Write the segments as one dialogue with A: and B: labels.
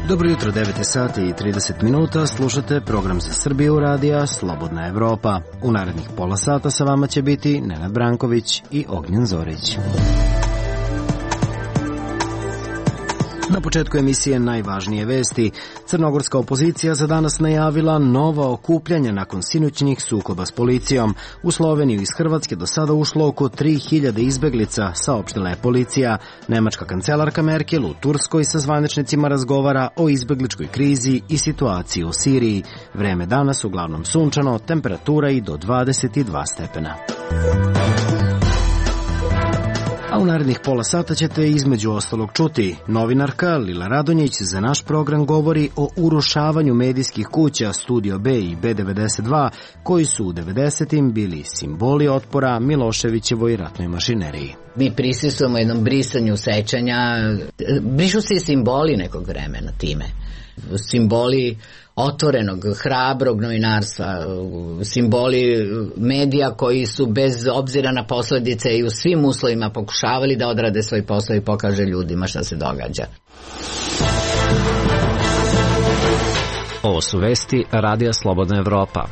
A: Dobro jutro, 9 sati i 30 minuta, slušate program za Srbiju radija Slobodna Evropa. U narednih pola sata sa vama će biti Nenad Branković i Ognjen Zorić. Na početku emisije najvažnije vesti. Crnogorska opozicija za danas najavila nova okupljanja nakon sinoćnih sukoba s policijom. U Sloveniju iz Hrvatske do sada ušlo oko 3000 izbeglica, saopštila je policija. Nemačka kancelarka Merkel u Turskoj sa zvaničnicima razgovara o izbegličkoj krizi i situaciji u Siriji. Vreme danas uglavnom sunčano, temperatura i do 22 stepena. A u narednih pola sata ćete između ostalog čuti. Novinarka Lila Radonjić za naš program govori o urušavanju medijskih kuća Studio B i B92, koji su u 90-im bili simboli otpora Miloševićevoj ratnoj mašineriji.
B: Mi prisustvujemo jednom brisanju sećanja, brišu se i simboli nekog vremena time. Simboli otvorenog, hrabrog novinarstva, simboli medija koji su bez obzira na posledice i u svim uslovima pokušavali da odrade svoj posao i pokaže ljudima šta se događa.
C: Ovo su vesti Radija Slobodna Evropa.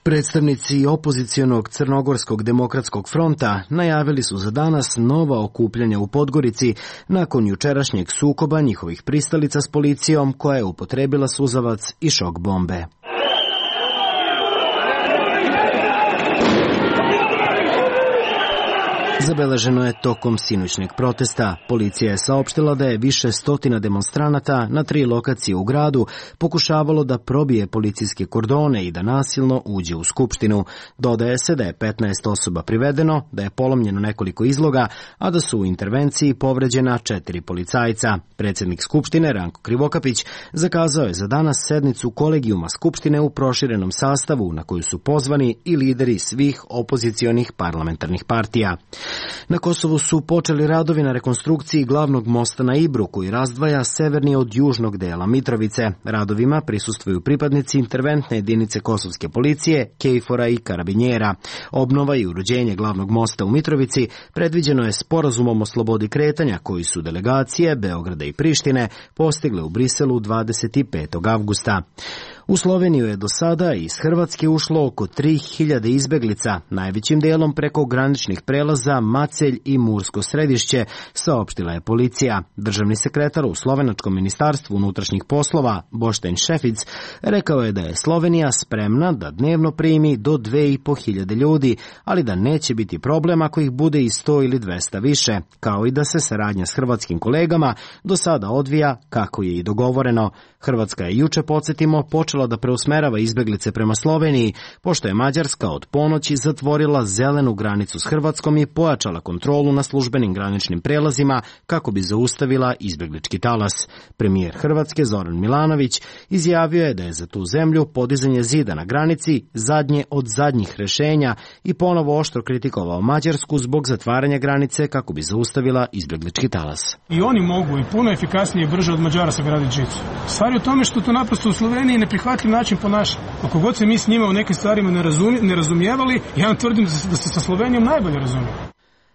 A: Predstavnici opozicionog Crnogorskog demokratskog fronta najavili su za danas nova okupljanja u Podgorici nakon jučerašnjeg sukoba njihovih pristalica s policijom koja je upotrebila suzavac i šok bombe. Zabeleženo je tokom sinoćnjeg protesta. Policija je saopštila da je više stotina demonstranata na 3 lokacije u gradu pokušavalo da probije policijske kordone i da nasilno uđe u Skupštinu. Dodaje se da je 15 osoba privedeno, da je polomljeno nekoliko izloga, a da su u intervenciji povređena 4 policajca. Predsjednik Skupštine Ranko Krivokapić zakazao je za danas sednicu kolegijuma Skupštine u proširenom sastavu na koju su pozvani i lideri svih opozicionih parlamentarnih partija. Na Kosovu su počeli radovi na rekonstrukciji glavnog mosta na Ibru, koji razdvaja severni od južnog dela Mitrovice. Radovima prisustvuju pripadnici interventne jedinice kosovske policije, KFOR-a i karabinjera. Obnova i uređenje glavnog mosta u Mitrovici predviđeno je sporazumom o slobodi kretanja koji su delegacije Beograda i Prištine postigle u Briselu 25. avgusta. U Sloveniju je do sada iz Hrvatske ušlo oko 3000 izbeglica, najvećim delom preko graničnih prelaza Macelj i Mursko Središće, saopštila je policija. Državni sekretar u Slovenačkom ministarstvu unutrašnjih poslova, Boštejn Šefic, rekao je da je Slovenija spremna da dnevno primi do 2500 ljudi, ali da neće biti problem ako ih bude i 100 ili 200 više, kao i da se saradnja s hrvatskim kolegama do sada odvija kako je i dogovoreno. Hrvatska je juče, podsjetimo, počela da preusmerava izbeglice prema Sloveniji, pošto je Mađarska od ponoći zatvorila zelenu granicu s Hrvatskom i pojačala kontrolu na službenim graničnim prelazima kako bi zaustavila izbeglički talas. Premijer Hrvatske Zoran Milanović izjavio je da je za tu zemlju podizanje zida na granici zadnje od zadnjih rešenja i ponovo oštro kritikovao Mađarsku zbog zatvaranja granice kako bi zaustavila izbeglički talas.
D: I oni mogu i puno efikasnije i brže od Mađara sagraditi žicu. Stvar je u tome što to naprosto u Sloveniji neprihvatljiv način ponaša. Ako god se mi s njima u nekim stvarima ne razumijevali, ja vam tvrdim da se sa Slovenijom najbolje razumije.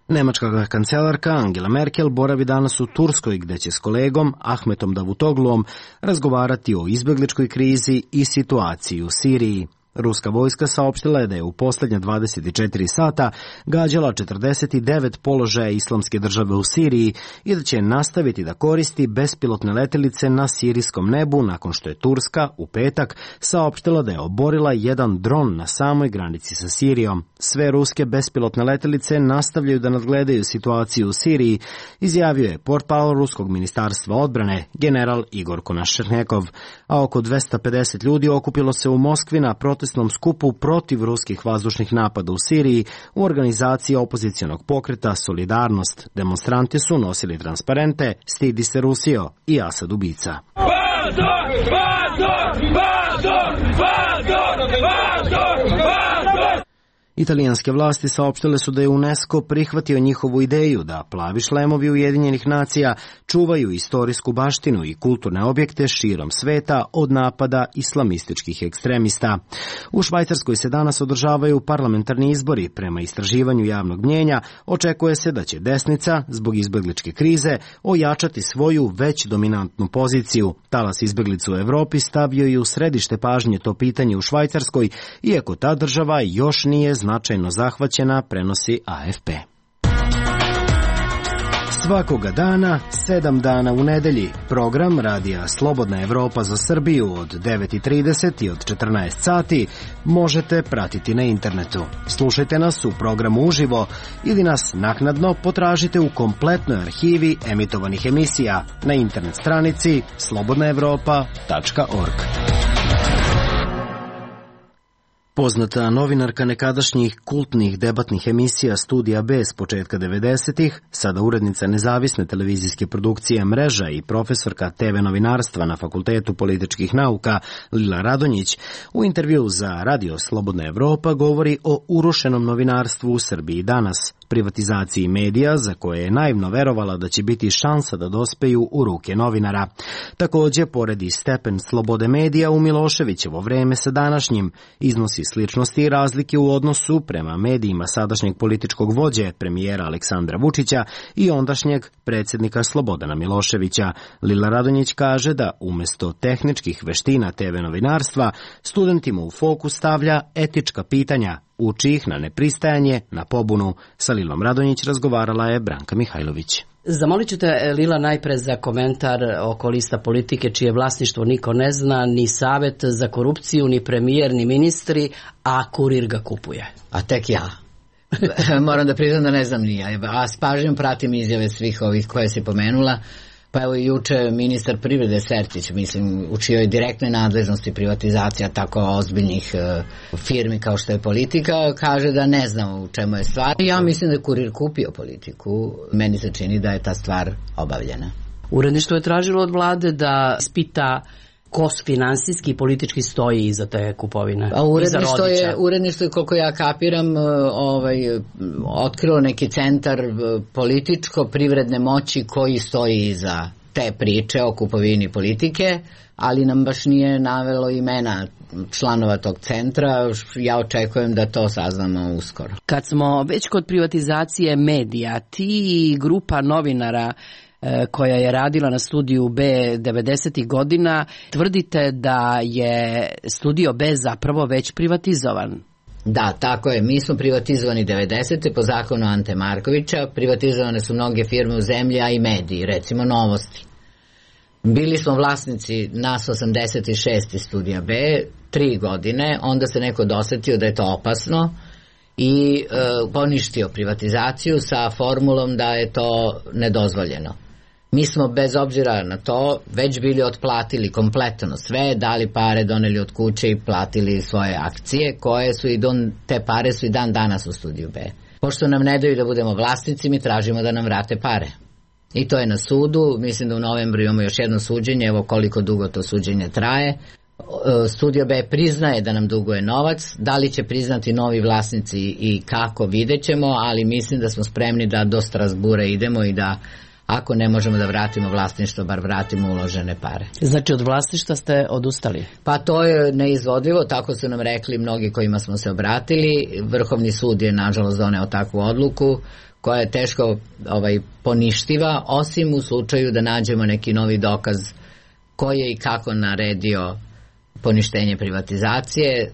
A: Nemačka kancelarka Angela Merkel boravi danas u Turskoj, gde će s kolegom Ahmetom Davutogluom razgovarati o izbegličkoj krizi i situaciji u Siriji. Ruska vojska saopštila je da je u posljednja 24 sata gađala 49 položaja Islamske države u Siriji i da će nastaviti da koristi bespilotne letelice na sirijskom nebu nakon što je Turska u petak saopštila da je oborila jedan dron na samoj granici sa Sirijom. Sve ruske bespilotne letelice nastavljaju da nadgledaju situaciju u Siriji, izjavio je portparol ruskog ministarstva odbrane general Igor Konašenekov, a oko 250 ljudi okupilo se u Moskvi na protestnom skupu protiv ruskih vazdušnih napada u Siriji u organizaciji opozicionog pokreta Solidarnost. Demonstranti su nosili transparente "Stidi se Rusijo" i "Asad ubica". Italijanske vlasti saopštile su da je UNESCO prihvatio njihovu ideju da plavi šlemovi Ujedinjenih nacija čuvaju istorijsku baštinu i kulturne objekte širom sveta od napada islamističkih ekstremista. U Švajcarskoj se danas održavaju parlamentarni izbori. Prema istraživanju javnog mnjenja očekuje se da će desnica, zbog izbegličke krize, ojačati svoju već dominantnu poziciju. Talas izbeglica u Evropi stavio je u središte pažnje to pitanje u Švajcarskoj, iako ta država još nije značajno zahvaćena, prenosi AFP. Svakoga dana, 7 dana u nedelji, program Radija Slobodna Evropa za Srbiju od 9:30 i od 14 sati možete pratiti na internetu. Slušajte nas u programu uživo ili nas naknadno potražite u kompletnoj arhivi emitovanih emisija na internet stranici slobodnaevropa.org. Poznata novinarka nekadašnjih kultnih debatnih emisija Studija B s početka 90-ih, sada urednica nezavisne televizijske produkcije Mreža i profesorka TV novinarstva na Fakultetu političkih nauka Lila Radonjić, u intervju za Radio Slobodna Evropa govori o urušenom novinarstvu u Srbiji danas, privatizaciji medija za koje je naivno verovala da će biti šansa da dospeju u ruke novinara. Takođe, poredi stepen slobode medija u Miloševićevo vreme sa današnjim, iznosi sličnosti i razlike u odnosu prema medijima sadašnjeg političkog vođe, premijera Aleksandra Vučića i ondašnjeg predsjednika Slobodana Miloševića. Lila Radonjić kaže da umesto tehničkih veština TV novinarstva, studentima u fokus stavlja etička pitanja, uči ih na nepristajanje, na pobunu. Sa Lilom Radonjić razgovarala je Branka Mihajlović.
E: Zamolit ću te, Lila, najpre za komentar oko lista politike čije vlasništvo niko ne zna, ni Savet za korupciju, ni premijer, ni ministri, a Kurir ga kupuje.
B: A tek ja. Moram da priznam da ne znam ni ja. A s pažnjom pratim izjave svih ovih koje si pomenula. Pa evo i juče ministar privrede Sertić, mislim, u čijoj direktnoj nadležnosti privatizacija tako ozbiljnih firmi kao što je Politika, kaže da ne znam u čemu je stvar. Ja mislim da je Kurir kupio Politiku. Meni se čini da je ta stvar obavljena.
E: Uredništvo je tražilo od vlade da ispita ko finansijski i politički stoji iza te kupovine.
B: A uredništvo je, koliko ja kapiram, otkrilo neki centar političko-privredne moći koji stoji iza te priče o kupovini Politike, ali nam baš nije navelo imena članova tog centra. Ja očekujem da to saznamo uskoro.
E: Kad smo već kod privatizacije medija, ti i grupa novinara koja je radila na Studiju B 90. godina, tvrdite da je Studio B zapravo već privatizovan.
B: Da, tako je. Mi smo privatizovani 90. po zakonu Ante Markovića. Privatizovane su mnoge firme u zemlji, a i mediji, recimo Novosti. Bili smo vlasnici nas 86. Studija B 3 godine, onda se neko dosetio da je to opasno i poništio privatizaciju sa formulom da je to nedozvoljeno. Mi smo bez obzira na to već bili otplatili kompletno sve, dali pare, doneli od kuće i platili svoje akcije, koje su te pare su i dan danas u Studiju B. Pošto nam ne daju da budemo vlasnici, mi tražimo da nam vrate pare. I to je na sudu, mislim da u novembru imamo još jedno suđenje, evo koliko dugo to suđenje traje. Studio B priznaje da nam duguje novac, da li će priznati novi vlasnici i kako, vidjet ćemo, ali mislim da smo spremni da do Strasbura idemo i da ako ne možemo da vratimo vlasništvo, bar vratimo uložene pare.
E: Znači od vlasništva ste odustali?
B: Pa to je neizvodljivo, tako su nam rekli mnogi kojima smo se obratili. Vrhovni sud je nažalost doneo takvu odluku koja je teško poništiva, osim u slučaju da nađemo neki novi dokaz koji je i kako naredio poništenje privatizacije.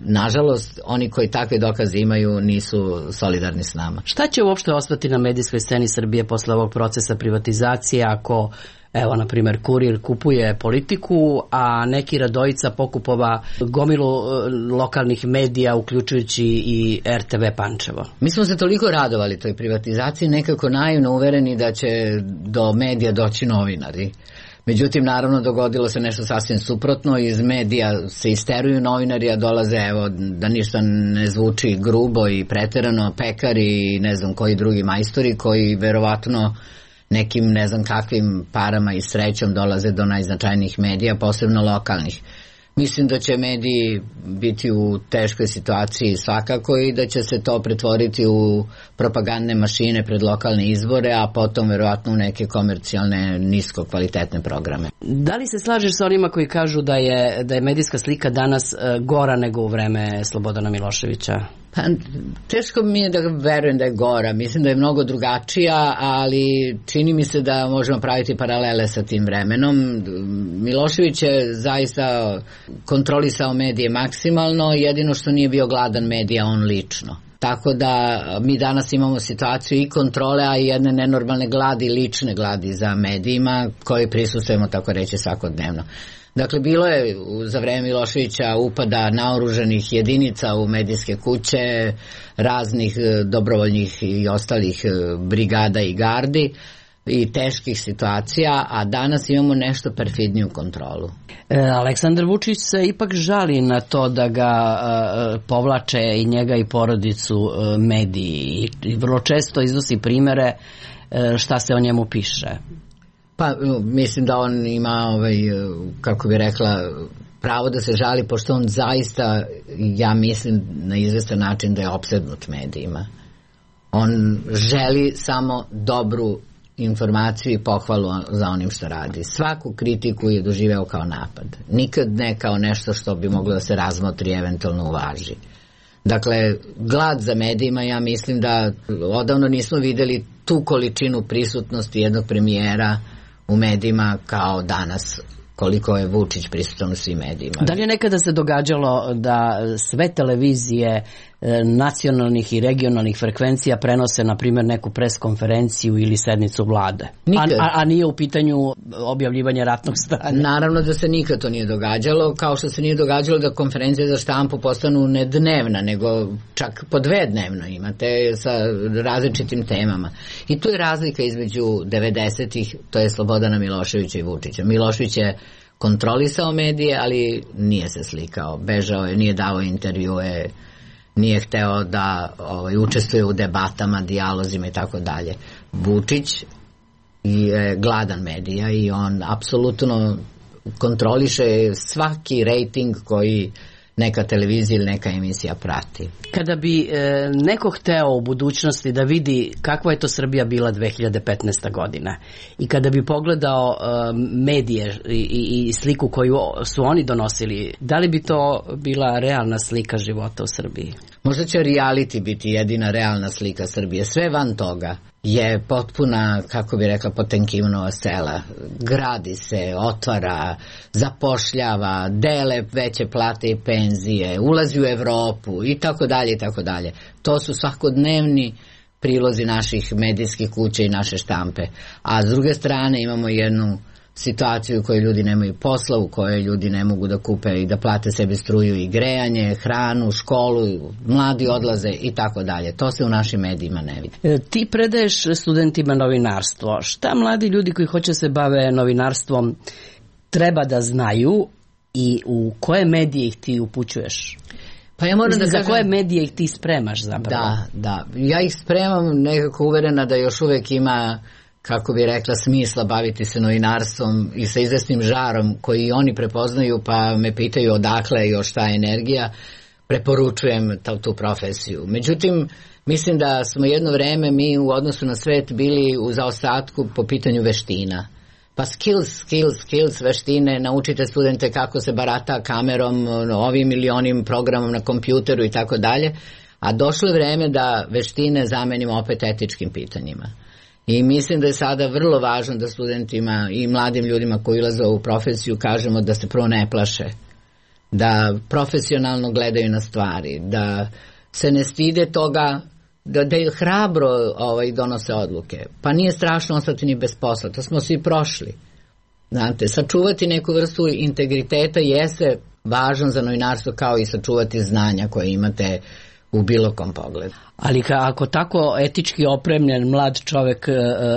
B: Nažalost, oni koji takve dokaze imaju nisu solidarni s nama.
E: Šta će uopšte ostati na medijskoj sceni Srbije posle ovog procesa privatizacije ako, evo, na primjer, Kurir kupuje Politiku, a neki Radojica pokupova gomilu lokalnih medija, uključujući i RTV Pančevo?
B: Mi smo se toliko radovali toj privatizaciji, nekako naivno uvereni da će do medija doći novinari. Međutim, naravno, dogodilo se nešto sasvim suprotno. Iz medija se isteruju novinari, a dolaze, evo, da ništa ne zvuči grubo i preterano, pekari i ne znam koji drugi majstori koji verovatno nekim ne znam kakvim parama i srećom dolaze do najznačajnijih medija, posebno lokalnih. Mislim da će mediji biti u teškoj situaciji svakako i da će se to pretvoriti u propagandne mašine pred lokalne izbore, a potom verovatno u neke komercijalne nisko kvalitetne programe.
E: Da li se slažeš sa onima koji kažu da je medijska slika danas gora nego u vreme Slobodana Miloševića?
B: Pa, teško mi je da verujem da je gora. Mislim da je mnogo drugačija, ali čini mi se da možemo praviti paralele sa tim vremenom. Milošević je zaista kontrolisao medije maksimalno, jedino što nije bio gladan medija on lično. Tako da mi danas imamo situaciju i kontrole, a i jedne nenormalne gladi, lične gladi za medijima koje prisustujemo, tako reći, svakodnevno. Dakle, bilo je za vreme Miloševića upada naoružanih jedinica u medijske kuće, raznih dobrovoljnih i ostalih brigada i gardi i teških situacija, a danas imamo nešto perfidniju kontrolu.
E: Aleksandar Vučić se ipak žali na to da ga povlače i njega i porodicu mediji i vrlo često iznosi primere šta se o njemu piše.
B: Pa mislim da on ima, kako bi rekla, pravo da se žali, pošto on zaista, ja mislim na izvestan način da je opsednut medijima. On želi samo dobru informaciju i pohvalu za onim što radi. Svaku kritiku je doživeo kao napad. Nikad ne kao nešto što bi moglo da se razmotri i eventualno uvaži. Dakle, glad za medijima, ja mislim da odavno nismo videli tu količinu prisutnosti jednog premijera u medijima kao danas, koliko je Vučić prisutan u svim medijima.
E: Da li je nekada se događalo da sve televizije nacionalnih i regionalnih frekvencija prenose, na primjer, neku preskonferenciju ili sednicu vlade? A nije u pitanju objavljivanje ratnog stanja?
B: Naravno da se nikad to nije događalo, kao što se nije događalo da konferencije za štampu postanu ne dnevna, nego čak po 2 dnevno imate sa različitim temama. I tu je razlika između 90-ih, to je Slobodana Miloševića i Vučića. Milošević je kontrolisao medije, ali nije se slikao, bežao je, nije dao intervjue, nije hteo da učestvuje u debatama, dijalozima i tako dalje. Vučić je gladan medija i on apsolutno kontroliše svaki rejting koji neka televizija ili neka emisija prati.
E: Kada bi neko hteo u budućnosti da vidi kakva je to Srbija bila 2015. godina i kada bi pogledao medije i sliku koju su oni donosili, da li bi to bila realna slika života u Srbiji?
B: Možda će reality biti jedina realna slika Srbije. Sve van toga je potpuna, kako bi rekla, Potemkinova sela. Gradi se, otvara, zapošljava, dele veće plate i penzije, ulazi u Evropu i tako dalje i tako dalje. To su svakodnevni prilozi naših medijskih kuća i naše štampe. A s druge strane imamo jednu situaciju u kojoj ljudi nemaju posla, u kojoj ljudi ne mogu da kupe i da plate sebi struju i grejanje, hranu, školu, mladi odlaze i tako dalje. To se u našim medijima ne vidi.
E: Ti predaješ studentima novinarstvo. Šta mladi ljudi koji hoće se bave novinarstvom treba da znaju i u koje medije ih ti upućuješ?
B: Pa ja moram da kažem,
E: za koje medije ih ti spremaš zapravo?
B: Da. Ja ih spremam nekako uverena da još uvek ima, kako bi rekla, smisla baviti se novinarstvom i sa izvesnim žarom koji oni prepoznaju, pa me pitaju odakle još ta energija, preporučujem tu profesiju. Međutim, mislim da smo jedno vreme mi u odnosu na svet bili u zaostatku po pitanju veština. Pa skills, veštine, naučite studente kako se barata kamerom, ovim ili onim programom na kompjuteru i tako dalje, a došlo je vreme da veštine zamenimo opet etičkim pitanjima. I mislim da je sada vrlo važno da studentima i mladim ljudima koji ulaze u profesiju kažemo da se prvo ne plaše, da profesionalno gledaju na stvari, da se ne stide toga, da hrabro donose odluke. Pa nije strašno ostati ni bez posla, to smo svi prošli. Znate, sačuvati neku vrstu integriteta jeste važno za novinarstvo, kao i sačuvati znanja koje imate u bilo kom pogledu.
E: Ali ako tako etički opremljen mlad čovek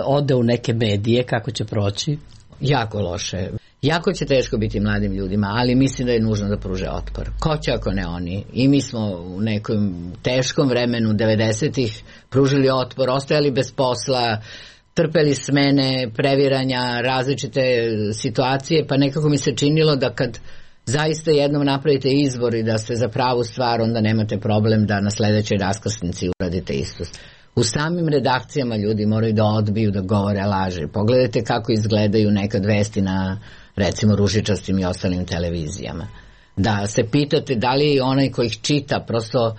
E: ode u neke medije, kako će proći?
B: Jako loše. Jako će teško biti mladim ljudima, ali mislim da je nužno da pruže otpor. Ko će ako ne oni? I mi smo u nekom teškom vremenu 90-ih pružili otpor, ostajali bez posla, trpeli smene, previranja, različite situacije, pa nekako mi se činilo da kad zaista jednom napravite izbor i da ste za pravu stvar, onda nemate problem da na sledećoj raskrsnici uradite isto. U samim redakcijama ljudi moraju da odbiju da govore laži. Pogledajte kako izgledaju nekad vesti na, recimo, ružičastim i ostalim televizijama. Da se pitate da li onaj koji ih čita prosto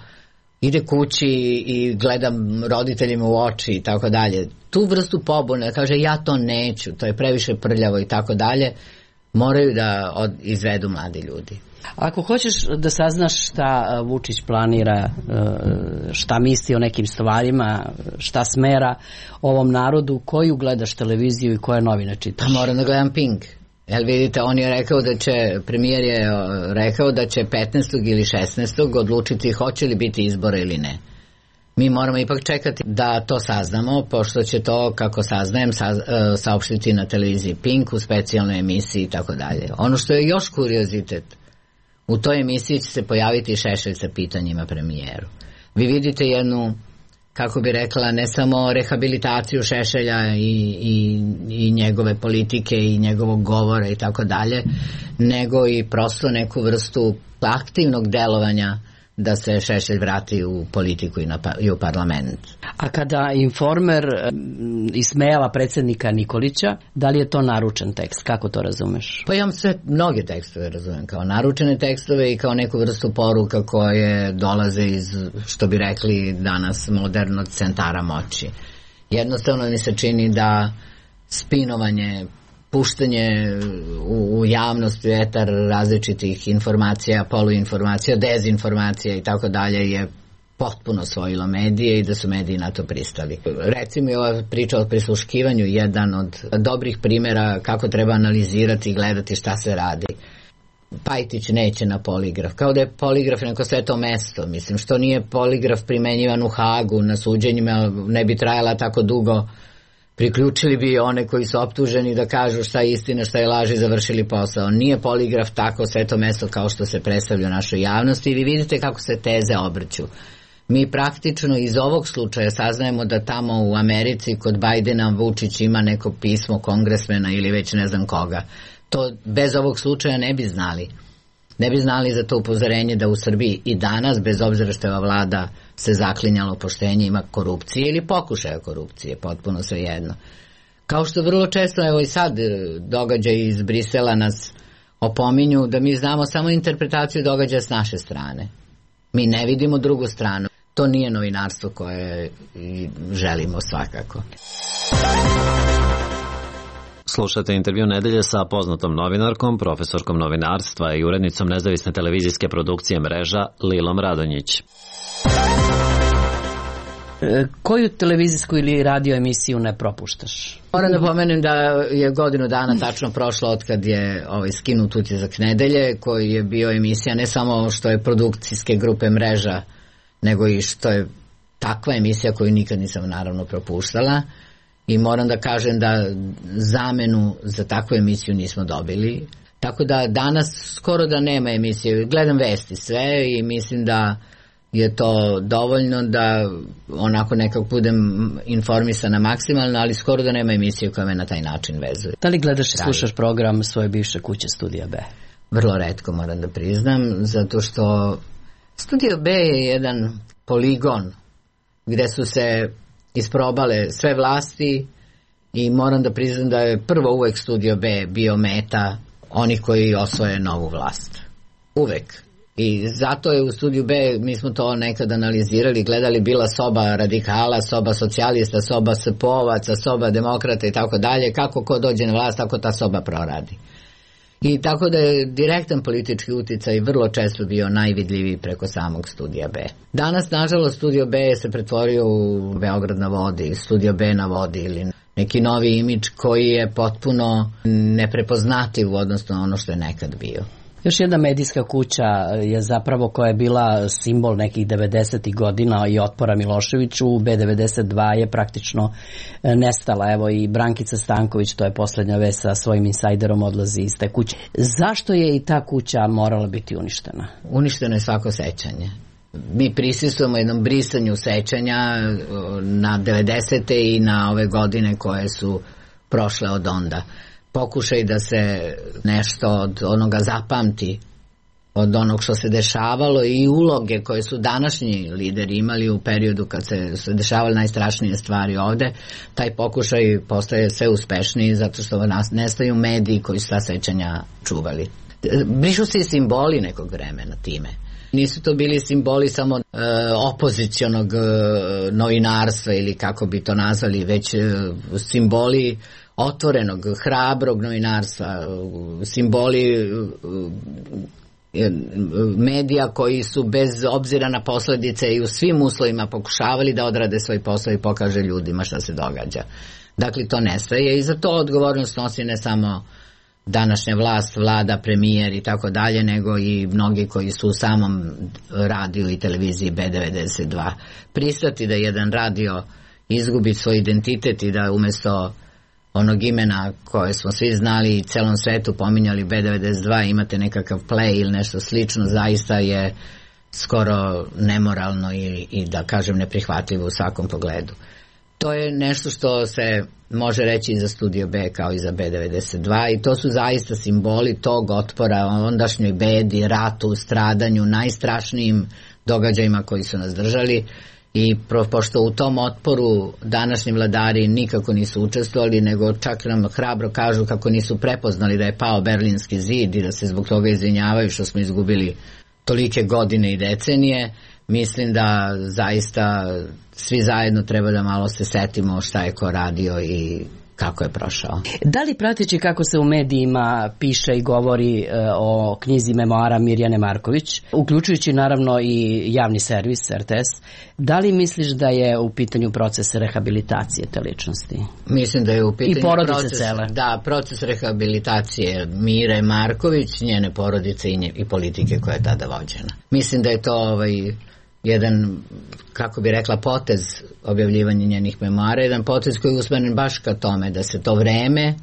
B: ide kući i gleda roditeljima u oči i tako dalje. Tu vrstu pobune, kaže ja to neću, to je previše prljavo i tako dalje, moraju da izvedu mladi ljudi.
E: Ako hoćeš da saznaš šta Vučić planira, šta misli o nekim stvarima, šta smera ovom narodu, koju gledaš televiziju i koje novine čitaš?
B: Pa moram da gledam Pink. Jel vidite, on je rekao premijer je rekao da će 15. ili 16. odlučiti hoće li biti izbora ili ne. Mi moramo ipak čekati da to saznamo, pošto će to, kako saznajem, saopštiti na televiziji Pink u specijalnoj emisiji i tako dalje. Ono što je još kuriozitet, u toj emisiji će se pojaviti Šešelj sa pitanjima premijeru. Vi vidite jednu, kako bi rekla, ne samo rehabilitaciju Šešelja i njegove politike i njegovog govora i tako dalje, nego i prosto neku vrstu aktivnog delovanja da se Šešelj vrati u politiku i u parlament.
E: A kada Informer ismejava predsjednika Nikolića, da li je to naručen tekst? Kako to razumeš?
B: Pa ja mnoge tekstove razumem kao naručene tekstove i kao neku vrstu poruka koje dolaze iz, što bi rekli danas, modernog centara moći. Jednostavno mi se čini da spinovanje, puštanje u javnost, u etar različitih informacija, poluinformacija, dezinformacija i tako dalje je potpuno osvojilo medije i da su mediji na to pristali. Recimo je ova priča o prisluškivanju jedan od dobrih primjera kako treba analizirati i gledati šta se radi. Pajtić neće na poligraf, kao da je poligraf neko sveto mesto. Mislim, što nije poligraf primenjivan u Hagu na suđenjima, ne bi trajala tako dugo. Priključili bi one koji su optuženi da kažu šta je istina, šta je laž i završili posao. Nije poligraf tako sveto mesto kao što se predstavlja u našoj javnosti i vi vidite kako se teze obrću. Mi praktično iz ovog slučaja saznajemo da tamo u Americi kod Bajdena Vučić ima neko pismo kongresmena ili već ne znam koga. To bez ovog slučaja ne bi znali. Ne bi znali za to upozorenje da u Srbiji i danas, bez obzira što je ova vlada se zaklinjalo poštenje, ima korupcije ili pokušaja korupcije, potpuno svejedno. Kao što vrlo često, evo i sad događaji iz Brisela nas opominju da mi znamo samo interpretaciju događaja s naše strane. Mi ne vidimo drugu stranu. To nije novinarstvo koje želimo svakako.
C: Slušate intervju nedelje sa poznatom novinarkom, profesorkom novinarstva i urednicom nezavisne televizijske produkcije Mreža Lilom Radonjić.
E: Koju televizijsku ili radio emisiju ne propuštaš?
B: Moram da pomenem da je godinu dana tačno prošlo od kad je skinut Utisak nedelje, koji je bio emisija ne samo što je produkcijske grupe Mreža, nego i što je takva emisija koju nikad nisam naravno propuštala. I moram da kažem da zamenu za takvu emisiju nismo dobili. Tako da danas skoro da nema emisije. Gledam vesti sve i mislim da je to dovoljno da onako nekako budem informisana maksimalno, ali skoro da nema emisije koja me na taj način vezuje.
E: Da li gledaš i slušaš program svoje bivše kuće Studija B?
B: Vrlo retko, moram da priznam, zato što Studio B je jedan poligon gde su se isprobale sve vlasti i moram da priznam da je prvo uvek Studio B bio meta onih koji osvoje novu vlast. Uvek. I zato je u Studiju B, mi smo to nekad analizirali, gledali, bila soba radikala, soba socijalista, soba SPO-vaca, soba demokrata i tako dalje. Kako ko dođe na vlast, tako ta soba proradi. I tako da je direktan politički uticaj vrlo često bio najvidljiviji preko samog Studija B. Danas, nažalost, Studio B se pretvorio u Beograd na vodi, Studio B na vodi ili neki novi imidž koji je potpuno neprepoznativ u odnosu na ono što je nekad bio.
E: Još jedna medijska kuća je zapravo koja je bila simbol nekih 90. godina i otpora Miloševiću. B92 je praktično nestala. Evo i Brankica Stanković, to je posljednja vest, sa svojim insajderom odlazi iz te kuće. Zašto je i ta kuća morala biti uništena?
B: Uništeno je svako sećanje. Mi prisustvujemo jednom brisanju sećanja na 90. i na ove godine koje su prošle od onda. Pokušaj da se nešto od onoga zapamti od onog što se dešavalo i uloge koje su današnji lideri imali u periodu kad se dešavale najstrašnije stvari ovde, taj pokušaj postaje sve uspešniji zato što nestaju mediji koji su ta sećanja čuvali. Brišu se i simboli nekog vremena time. Nisu to bili simboli samo opozicionog novinarstva ili kako bi to nazvali, već simboli otvorenog, hrabrog novinarstva, simboli medija koji su bez obzira na posledice i u svim uslovima pokušavali da odrade svoj posao i pokaže ljudima šta se događa. Dakle, to nestaje i za to odgovornost nosi ne samo današnja vlast, vlada, premijer i tako dalje, nego i mnogi koji su u samom radiju i televiziji B92. Pristati da jedan radio izgubi svoj identitet i da umjesto onog imena koje smo svi znali i celom svetu pominjali B92 imate nekakav play ili nešto slično, zaista je skoro nemoralno i da kažem neprihvatljivo u svakom pogledu. To je nešto što se može reći i za Studio B kao i za B92 i to su zaista simboli tog otpora ondašnjoj bedi, ratu, stradanju, najstrašnijim događajima koji su nas držali. I pošto u tom otporu današnji vladari nikako nisu učestvovali, nego čak nam hrabro kažu kako nisu prepoznali da je pao Berlinski zid i da se zbog toga izvinjavaju što smo izgubili tolike godine i decenije, mislim da zaista svi zajedno treba da malo se setimo šta je ko radio i kako je prošao.
E: Da li prateći kako se u medijima piše i govori o knjizi memoara Mirjane Marković, uključujući naravno i javni servis RTS, da li misliš da je u pitanju proces rehabilitacije te ličnosti?
B: Mislim da je u pitanju
E: i porodice cele.
B: Da, proces rehabilitacije Mire Marković, njene porodice i politike koja je tada vođena. Mislim da je to jedan, kako bi rekla, potez objavljivanja njenih memoara, jedan potez koji je usmeren baš ka tome da se to vreme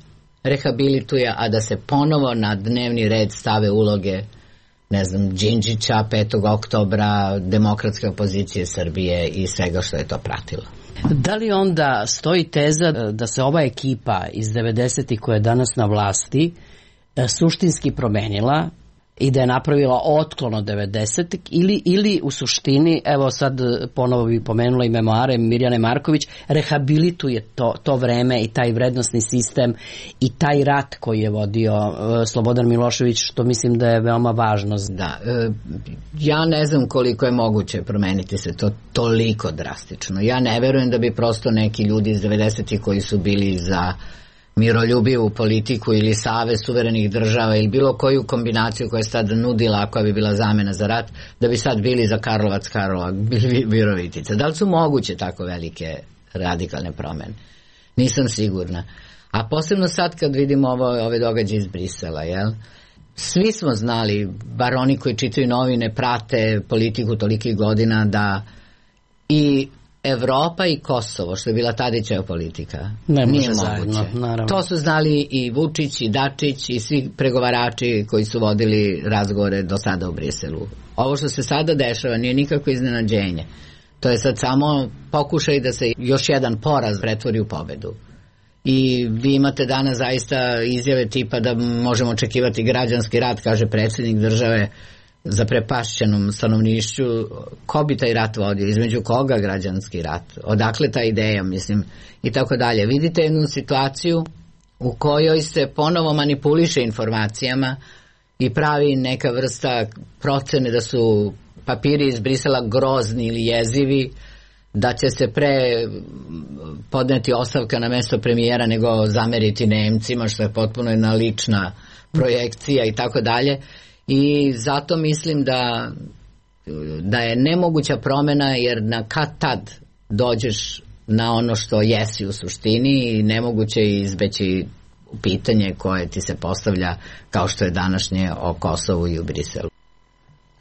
B: rehabilituje, a da se ponovo na dnevni red stave uloge, ne znam, Đinđića, 5. oktobra, demokratske opozicije Srbije i svega što je to pratilo.
E: Da li onda stoji teza da se ova ekipa iz 90-ih koja je danas na vlasti suštinski promenila i da je napravila otklon od 90-ih ili u suštini, evo sad ponovo bi pomenula i memoare Mirjane Marković, rehabilituje to vreme i taj vrednosni sistem i taj rat koji je vodio Slobodan Milošević, što mislim da je veoma važno.
B: Da, ja ne znam koliko je moguće promeniti se to toliko drastično. Ja ne verujem da bi prosto neki ljudi iz 90-ih koji su bili za miroljubivu politiku ili savez suverenih država ili bilo koju kombinaciju koja je sad nudila, koja bi bila zamena za rat, da bi sad bili za Karlovac, Virovitica. Da li su moguće tako velike radikalne promene? Nisam sigurna. A posebno sad kad vidimo ove događaje iz Brisela, jel? Svi smo znali, bar oni koji čitaju novine, prate politiku tolikih godina, da i Evropa i Kosovo, što je bila Tadićeva politika,
E: nije
B: moguće.
E: Zajedno,
B: to su znali i Vučić i Dačić i svi pregovarači koji su vodili razgovore do sada u Briselu. Ovo što se sada dešava nije nikako iznenađenje. To je sad samo pokušaj da se još jedan poraz pretvori u pobedu. I vi imate danas zaista izjave tipa da možemo očekivati građanski rat, kaže predsjednik države, zaprepašćenom stanovnišću. Ko bi taj rat vodio? Između koga građanski rat? Odakle ta ideja, mislim, i tako dalje. Vidite jednu situaciju u kojoj se ponovo manipuliše informacijama i pravi neka vrsta procene da su papiri iz Brisela grozni ili jezivi, da će se pre podneti ostavka na mesto premijera nego zameriti Nemcima, što je potpuno jedna lična projekcija i tako dalje. I zato mislim da je nemoguća promjena, jer na kad tad dođeš na ono što jesi u suštini i nemoguće je izbeći pitanje koje ti se postavlja kao što je današnje o Kosovu i u Briselu.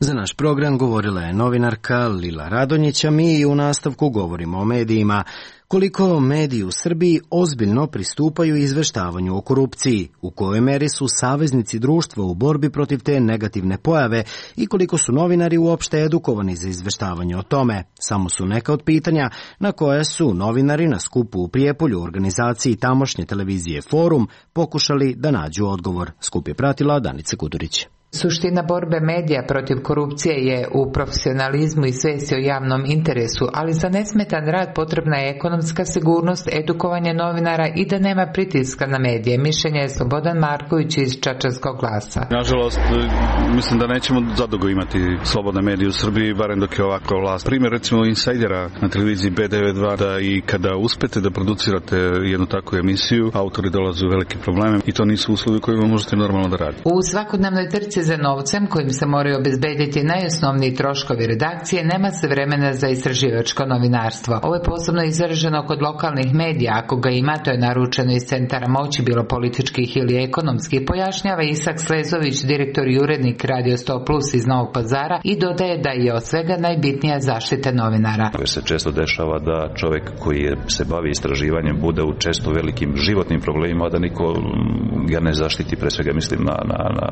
A: Za naš program govorila je novinarka Lila Radonjić, a mi i u nastavku govorimo o medijima. Koliko mediji u Srbiji ozbiljno pristupaju izveštavanju o korupciji, u kojoj meri su saveznici društva u borbi protiv te negativne pojave i koliko su novinari uopšte edukovani za izveštavanje o tome, samo su neka od pitanja na koje su novinari na skupu u Prijepolju u organizaciji tamošnje televizije Forum pokušali da nađu odgovor. Skup je pratila Danica Kudurić.
F: Suština borbe medija protiv korupcije je u profesionalizmu i svesti o javnom interesu, ali za nesmetan rad potrebna je ekonomska sigurnost, edukovanje novinara i da nema pritiska na medije. Mišljenje je Slobodan Marković iz Čačanskog glasa.
G: Nažalost, mislim da nećemo zadugo imati slobodne medije u Srbiji, barem dok je ovakva vlast. Primjer recimo Insajdera na televiziji B92, da i kada uspete da producirate jednu takvu emisiju, autori dolaze u velike probleme i to nisu uslovi kojima možete normalno da radite.
F: U svakodnevnoj trci za novcem kojim se moraju obezbediti najosnovniji troškovi redakcije, nema se vremena za istraživačko novinarstvo. Ovo je posebno izraženo kod lokalnih medija, ako ga ima, to je naručeno iz centara moći, bilo političkih ili ekonomskih, pojašnjava Isak Slezović, direktor i urednik Radio 100 Plus iz Novog Pazara, i dodaje da je od svega najbitnija zaštita novinara.
H: Jer se često dešava da čovjek koji se bavi istraživanjem bude u često velikim životnim problemima, da niko ga ne zaštiti, pre svega mislim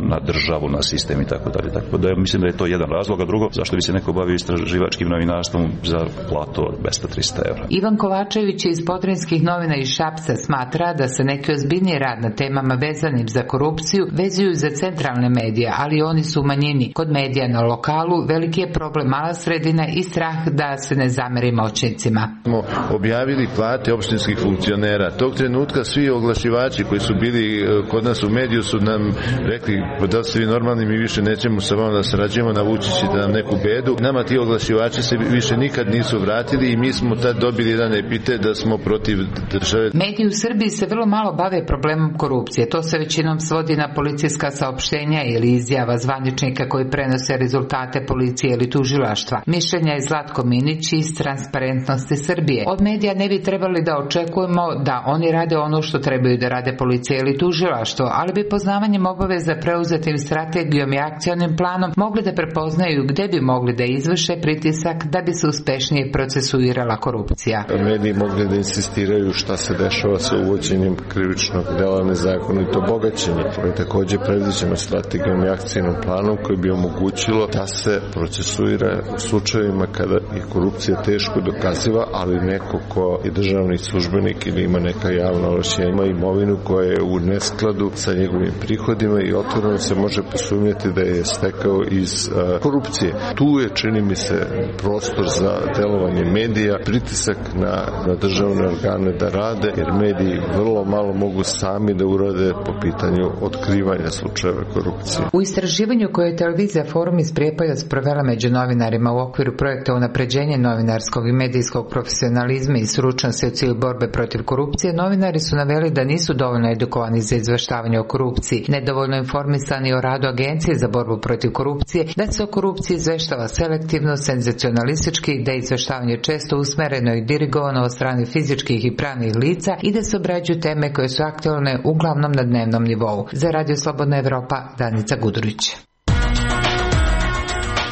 H: na državu, na sistem i tako dalje. Tako da mislim da je to jedan razlog, a drugo, zašto bi se neko bavio istraživačkim novinarstvom za platu od 200-300 evra.
F: Ivan Kovačević iz Podrinskih novina iz Šapca smatra da se neki ozbiljniji rad na temama vezanim za korupciju vezuju za centralne medije, ali oni su u manjini. Kod medija na lokalu veliki je problem mala sredina i strah da se ne zameri moćnicima.
I: Smo objavili plate opštinskih funkcionera. Tog trenutka svi oglašivači koji su bili kod nas u mediju su nam rekli, da ste vi normalni, mi više nećemo sa vama da sarađujemo, navući ćete nam neku bedu. Nama ti oglašivači se više nikad nisu vratili i mi smo tad dobili jedan epitet da smo protiv države.
F: Mediji u Srbiji se vrlo malo bave problemom korupcije. To se većinom svodi na policijska saopštenja ili izjava zvaničnika koji prenose rezultate policije ili tužilaštva. Mišljenja je Zlatko Minić iz Transparentnosti Srbije. Od medija ne bi trebali da očekujemo da oni rade ono što trebaju da rade policija ili tužilaštvo, ali bi poznavanjem obaveza preuzetim strategijom i akcionim planom mogli da prepoznaju gde bi mogli da izvrše pritisak da bi se uspešnije procesuirala korupcija.
I: Mediji mogli da insistiraju šta se dešava sa uvođenjem krivičnog dela nezakonito bogaćenje. To je takođe predviđeno strategijom i akcijnom planom koji bi omogućilo da se procesuira u slučajevima kada je korupcija teško dokaziva, ali neko ko je državni službenik ili ima neka javna ovlašćenja, ima imovinu koja je u neskladu sa njegovim prihodima i otvoreno se može posumnjati da je stekao iz korupcije. Tu je, čini mi se, prostor za delovanje medija, pritisak na državne organe da rade, jer mediji vrlo malo mogu sami da urade po pitanju otkrivanja slučajeva korupcije.
F: U istraživanju koje je televizija Forum iz Prijepolja sprovela među novinarima u okviru projekta unapređenje novinarskog i medijskog profesionalizma i stručnosti u cilju borbe protiv korupcije, novinari su naveli da nisu dovoljno edukovani za izveštavanje o korupciji, nedovoljno informisani o radu Agencije za borbu protiv korupcije, da se o korupciji izveštava selektivno, senzacionalistički, da je izveštavanje često usmereno i dirigovano od strane fizičkih i pravnih lica i da se obrađuju teme koje su aktualne uglavnom na dnevnom nivou. Za Radio Slobodna Evropa, Danica Gudurić.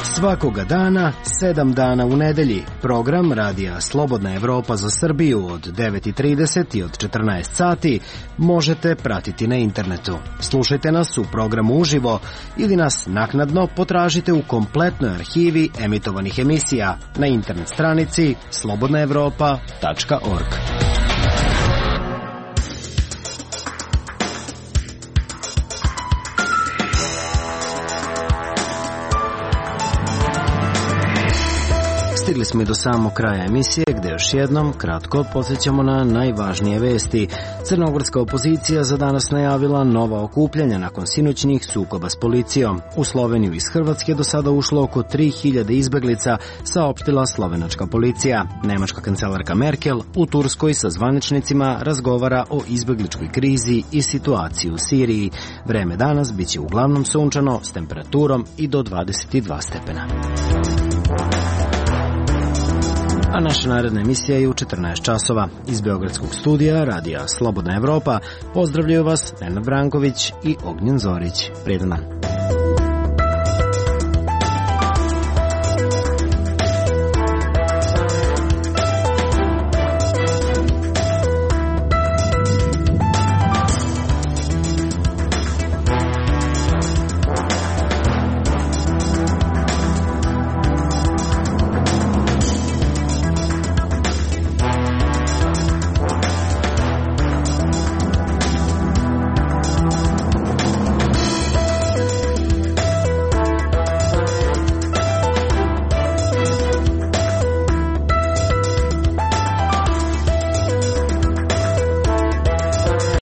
A: Svakoga dana, 7 dana u nedelji, program Radija Slobodna Evropa za Srbiju od 9:30 i od 14 sati možete pratiti na internetu. Slušajte nas u programu uživo ili nas naknadno potražite u kompletnoj arhivi emitovanih emisija na internet stranici slobodnaevropa.org. Stigli smo i do samog kraja emisije, gde još jednom kratko podsjećamo na najvažnije vesti. Crnogorska opozicija za danas najavila nova okupljanja nakon sinoćnih sukoba s policijom. U Sloveniju iz Hrvatske do sada ušlo oko 3000 izbeglica, saopštila slovenačka policija. Nemačka kancelarka Merkel u Turskoj sa zvaničnicima razgovara o izbegličkoj krizi i situaciji u Siriji. Vreme danas biće uglavnom sunčano s temperaturom i do 22 stepena. A naša naredna emisija je u 14 časova. Iz Beogradskog studija Radija Slobodna Evropa pozdravljaju vas Nenad Branković i Ognjen Zorić. Prijedan dan.